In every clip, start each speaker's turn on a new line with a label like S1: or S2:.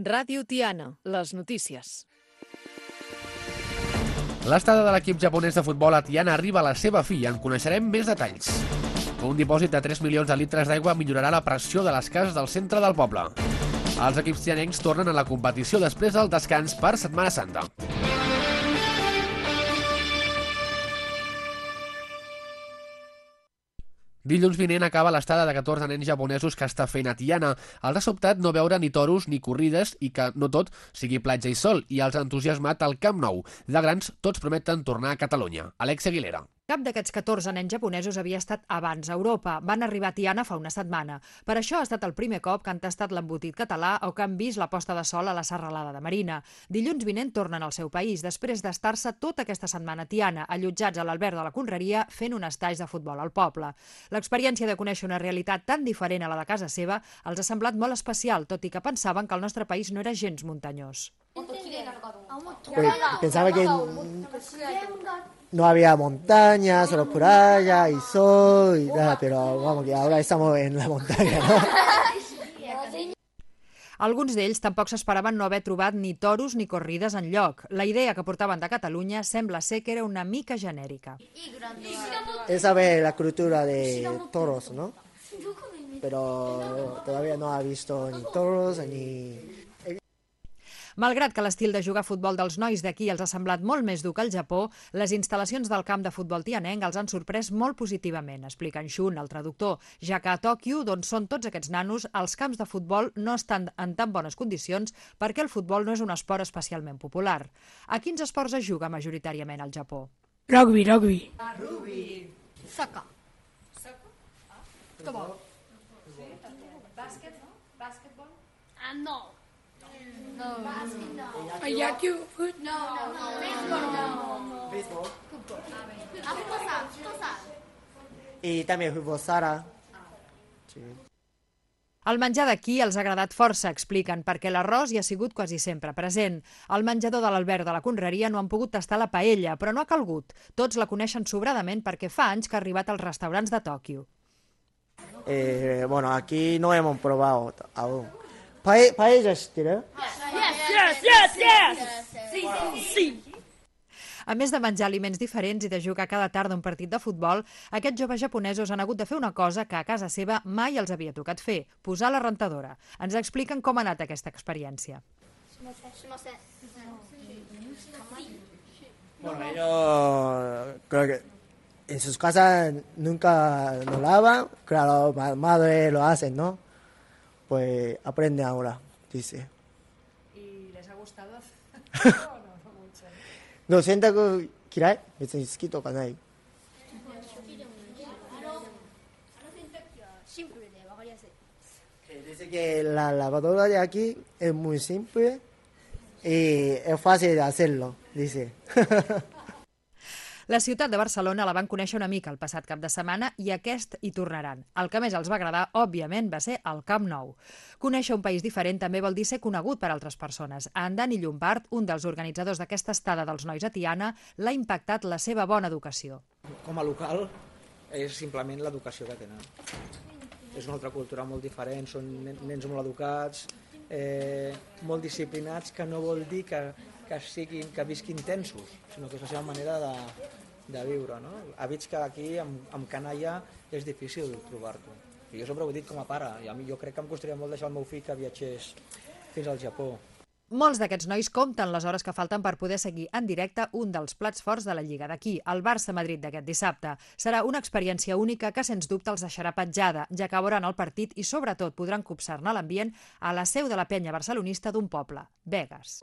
S1: Ràdio Tiana, les notícies.
S2: L'estada de l'equip japonès de futbol a Tiana arriba a la seva fi i en coneixerem més detalls. Un dipòsit de 3 milions de litres d'aigua millorarà la pressió de les cases del centre del poble. Els equips tianencs tornen a la competició després del descans per Setmana Santa. Dilluns vinent acaba l'estada de 14 nens japonesos que està fent a Tiana. Els ha sobtat no veure ni toros ni corrides i que no tot sigui platja i sol, i els ha entusiasmat el Camp Nou. De grans, tots prometen tornar a Catalunya. Alex Aguilera.
S3: Cap d'aquests 14 nens japonesos havia estat abans a Europa. Van arribar a Tiana fa una setmana. Per això ha estat el primer cop que han tastat l'embotit català o que han vist la posta de sol a la serralada de Marina. Dilluns vinent tornen al seu país, després d'estar-se tota aquesta setmana a Tiana, allotjats a l'Albert de la Conreria, fent un estatge de futbol al poble. L'experiència de conèixer una realitat tan diferent a la de casa seva els ha semblat molt especial, tot i que pensaven que el nostre país no era gens muntanyós.
S4: Pensaba que no había montaña, solo playa y sol y nada, pero vamos que ahora estamos en la montaña, ¿no?
S3: Alguns d'ells tampoc s'esperaven no haver trobat ni toros ni corrides enlloc. La idea que portaven de Catalunya sembla ser que era una mica genèrica.
S4: Él sabe la cultura de toros, ¿no? Pero todavía no ha visto ni toros ni...
S3: Malgrat que l'estil de jugar a futbol dels nois d'aquí els ha semblat molt més dur que al Japó, les instal·lacions del camp de futbol tianenc els han sorprès molt positivament, explica en Shun, el traductor, ja que a Tòquio, d'on són tots aquests nanos, els camps de futbol no estan en tan bones condicions perquè el futbol no és un esport especialment popular. A quins esports es juga majoritàriament al Japó?
S5: Rugby.
S6: Soccer.
S3: Futbol. Bàsquet, no? Bàsquetbol?
S6: No.
S5: Yaku.
S4: Béisbol. Y también fútbol sala. Sí.
S3: El menjar d'aquí els ha agradat força, expliquen, perquè l'arròs hi ha sigut quasi sempre present. Al menjador de l'Albert de la Conreria no han pogut tastar la paella, però no ha calgut. Tots la coneixen sobradament perquè fa anys que ha arribat als restaurants de Tòquio.
S4: Bueno, aquí no hemos probado aún. ¿Paella ¿sí?
S5: Sí.
S3: A més de menjar aliments diferents i de jugar cada tarda un partit de futbol, aquests joves japonesos han hagut de fer una cosa que a casa seva mai els havia tocat fer, posar la rentadora. Ens expliquen com ha anat aquesta experiència.
S4: Bueno, ellos creo que en sus casas nunca lo lavan. Claro, madre lo hacen, ¿no? Pues aprende ahora, dice.
S3: ¿Y les ha gustado?
S4: No, 洗濯嫌い？別に好きとかない。Dice que la lavadora de aquí es muy simple y es fácil de hacerlo, dice.
S3: La ciutat de Barcelona la van conèixer una mica el passat cap de setmana i aquest hi tornaran. El que més els va agradar, òbviament, va ser el Camp Nou. Conèixer un país diferent també vol dir ser conegut per altres persones. A en Dani Llombard, un dels organitzadors d'aquesta estada dels nois a Tiana, l'ha impactat la seva bona educació.
S7: Com a local és simplement l'educació que tenen. És una altra cultura molt diferent, són nens molt educats, molt disciplinats, que no vol dir que visquin tensos, sinó que és la seva manera de viure, no? Hàbits que aquí amb canalla és difícil trobar-ho. I jo sempre ho he dit com a pare, i jo crec que em costaria molt deixar el meu fill que viatgés fins al Japó.
S3: Molts d'aquests nois compten les hores que falten per poder seguir en directe un dels plats forts de la Lliga d'aquí, el Barça-Madrid d'aquest dissabte. Serà una experiència única que, sens dubte, els deixarà petjada, ja que veuran el partit i, sobretot, podran copsar-ne l'ambient a la seu de la penya barcelonista d'un poble, Begues.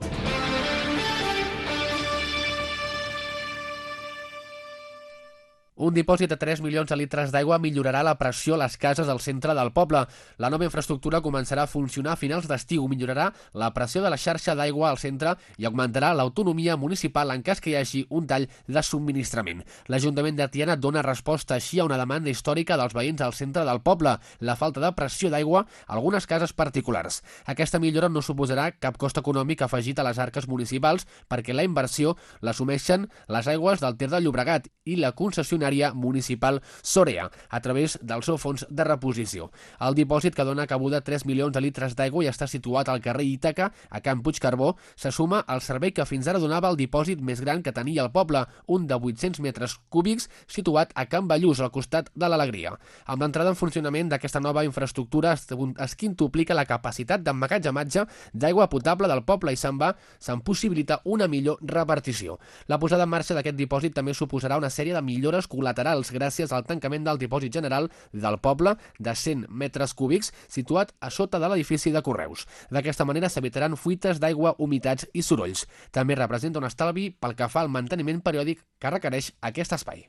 S2: Un dipòsit de 3 milions de litres d'aigua millorarà la pressió a les cases del centre del poble. La nova infraestructura començarà a funcionar a finals d'estiu, millorarà la pressió de la xarxa d'aigua al centre i augmentarà l'autonomia municipal en cas que hi hagi un tall de subministrament. L'Ajuntament de Tiana dona resposta així a una demanda històrica dels veïns al centre del poble, la falta de pressió d'aigua a algunes cases particulars. Aquesta millora no suposarà cap cost econòmic afegit a les arques municipals perquè la inversió l'assumeixen les aigües del Ter de Llobregat i la concessionària maquinària municipal Sorea, a través del seu fons de reposició. El dipòsit, que dona cabuda a 3 milions de litres d'aigua i està situat al carrer Ítaca, a Can Puigcarbó, se suma al servei que fins ara donava el dipòsit més gran que tenia el poble, un de 800 metres cúbics situat a Can Ballús, al costat de l'Alegria. Amb l'entrada en funcionament d'aquesta nova infraestructura es quintuplica la capacitat d'emmagatzematge d'aigua potable del poble i se'n possibilita una millor repartició. La posada en marxa d'aquest dipòsit també suposarà una sèrie de millores col·laterals gràcies al tancament del dipòsit general del poble de 100 metres cúbics situat a sota de l'edifici de Correus. D'aquesta manera s'evitaran fuites d'aigua, humitats i sorolls. També representa un estalvi pel que fa al manteniment periòdic que requereix aquest espai.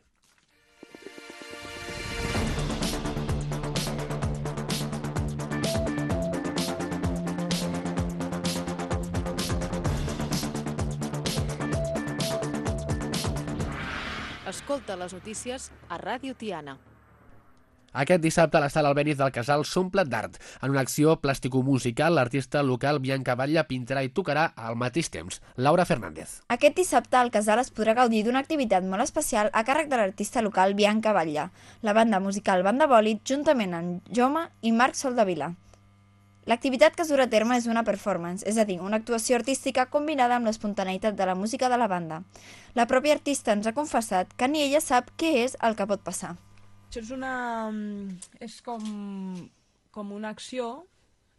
S1: Escolta les notícies a Ràdio Tiana.
S2: Aquest dissabte la sala Albéniz del Casal s'omple d'art. En una acció plàstico-musical, l'artista local Bianca Batlle pintarà i tocarà al mateix temps. Laura Fernández.
S6: Aquest dissabte al Casal es podrà gaudir d'una activitat molt especial a càrrec de l'artista local Bianca Batlle, la banda musical Banda Bòlit, juntament amb Joma i Marc Soldavila. L'activitat que es durà a terme és una performance, és a dir, una actuació artística combinada amb l'espontaneïtat de la música de la banda. La pròpia artista ens ha confessat que ni ella sap què és el que pot passar.
S8: Això és com una acció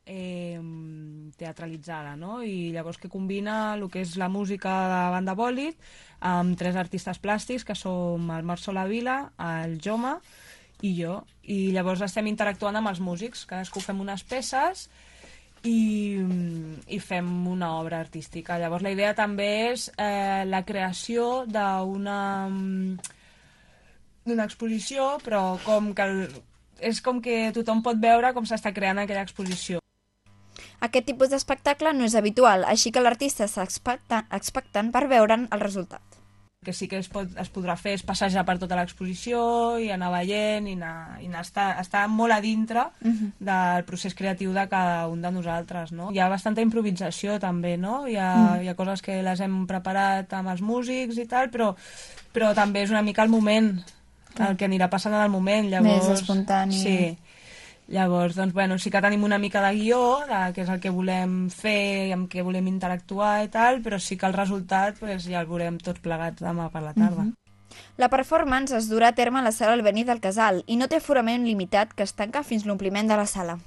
S8: teatralitzada, no? I llavors que combina el que és la música de Banda Bòlit amb 3 artistes plàstics, que som el Marc Soldavila, el Joma i jo. I llavors estem interactuant amb els músics, cadascú fem unes peces i fem una obra artística. Llavors la idea també és la creació d'una exposició, però és com que tothom pot veure com s'està creant aquella exposició.
S6: Aquest tipus d'espectacle no és habitual, així que l'artista està expectant per veure'n el resultat.
S8: El que sí que es podrà fer és passejar per tota l'exposició i anar veient i estar molt a dintre del procés creatiu de cada un de nosaltres, no? Hi ha bastanta improvisació també, no? Hi ha coses que les hem preparat amb els músics i tal, però també és una mica el moment, el que anirà passant en el moment. Llavors,
S6: més espontani.
S8: Sí. Llavors, doncs, bueno, sí que tenim una mica de guió, que és el que volem fer i amb què volem interactuar i tal, però sí que el resultat ja el veurem tots plegats demà per la tarda.
S6: La performance es durà a terme a la sala Albéniz del Casal i no té aforament limitat, que es tanca fins l'ompliment de la sala.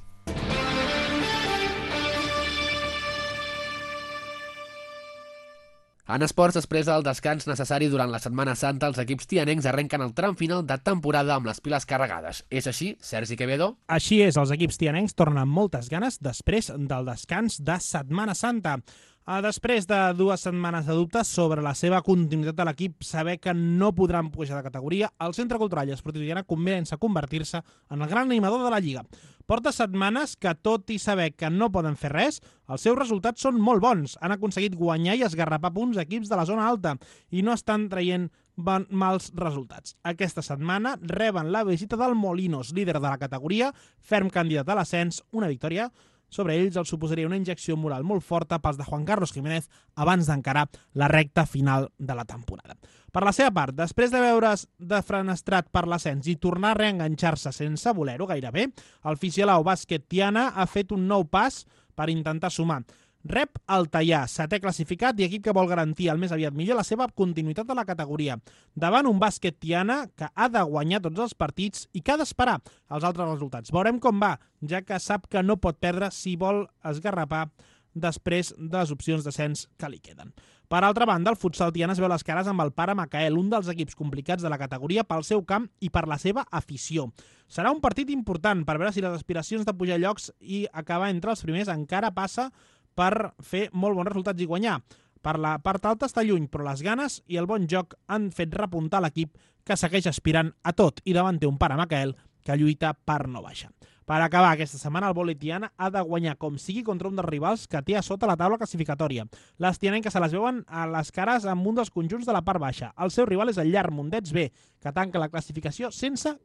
S2: En esports, després del descans necessari durant la Setmana Santa, els equips tianencs arrenquen el tram final de temporada amb les piles carregades. És així, Sergi Quevedo?
S9: Així és, els equips tianencs tornen amb moltes ganes després del descans de Setmana Santa. Després de 2 setmanes de dubtes sobre la seva continuïtat de l'equip, saber que no podran pujar de categoria, el Centre Cultural i Esportiu Tiana comença a convertir-se en el gran animador de la Lliga. Porta setmanes que, tot i saber que no poden fer res, els seus resultats són molt bons. Han aconseguit guanyar i esgarrapar punts equips de la zona alta i no estan traient mals resultats. Aquesta setmana reben la visita del Molinos, líder de la categoria, ferm candidat a l'ascens. Una victòria sobre ells els suposaria una injecció moral molt forta pels de Juan Carlos Jiménez abans d'encarar la recta final de la temporada. Per la seva part, després de veure's defenestrat per l'ascens i tornar a reenganxar-se sense voler-ho gairebé, el Fisialau Bàsquet Tiana ha fet un nou pas per intentar sumar. Rep el Tallà, 7è classificat i equip que vol garantir el més aviat millor la seva continuïtat a la categoria. Davant un Bàsquet Tiana que ha de guanyar tots els partits i que ha d'esperar els altres resultats. Veurem com va, ja que sap que no pot perdre si vol esgarrapar després de les opcions d'ascens que li queden. Per altra banda, el futsal Tiana es veu les cares amb el Pare Macael, un dels equips complicats de la categoria pel seu camp i per la seva afició. Serà un partit important per veure si les aspiracions de pujar llocs i acabar entre els primers encara passa per fer molt bons resultats i guanyar. Per la part alta està lluny, però les ganes i el bon joc han fet repuntar l'equip que segueix aspirant a tot i davant té un Pare Macael que lluita per no baixar. Per acabar aquesta setmana, el vòlei Tiana ha de guanyar com sigui contra un dels rivals que té a sota la taula classificatòria. Les tianenques se les veuen a les cares amb un dels conjunts de la part baixa. El seu rival és el Llar Mondets B, que tanca la classificació sense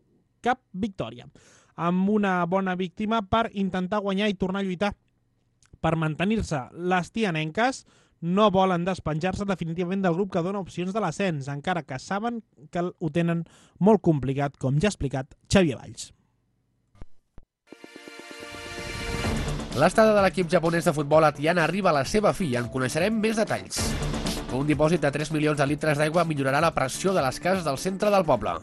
S9: cap victòria, amb una bona víctima per intentar guanyar i tornar a lluitar per mantenir-se. Les tianenques no volen despenjar-se definitivament del grup que dona opcions de l'ascens, encara que saben que ho tenen molt complicat, com ja ha explicat Xavier Valls.
S2: L'estada de l'equip japonès de futbol a Tiana arriba a la seva fi i en coneixerem més detalls. Un dipòsit de 3 milions de litres d'aigua millorarà la pressió de les cases del centre del poble.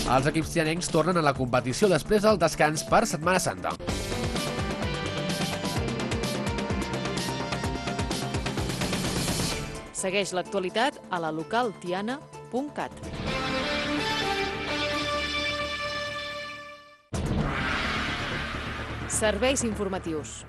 S2: Els equips tianencs tornen a la competició després del descans per Setmana Santa.
S1: Segueix l'actualitat a la localtiana.cat. Serveis informatius.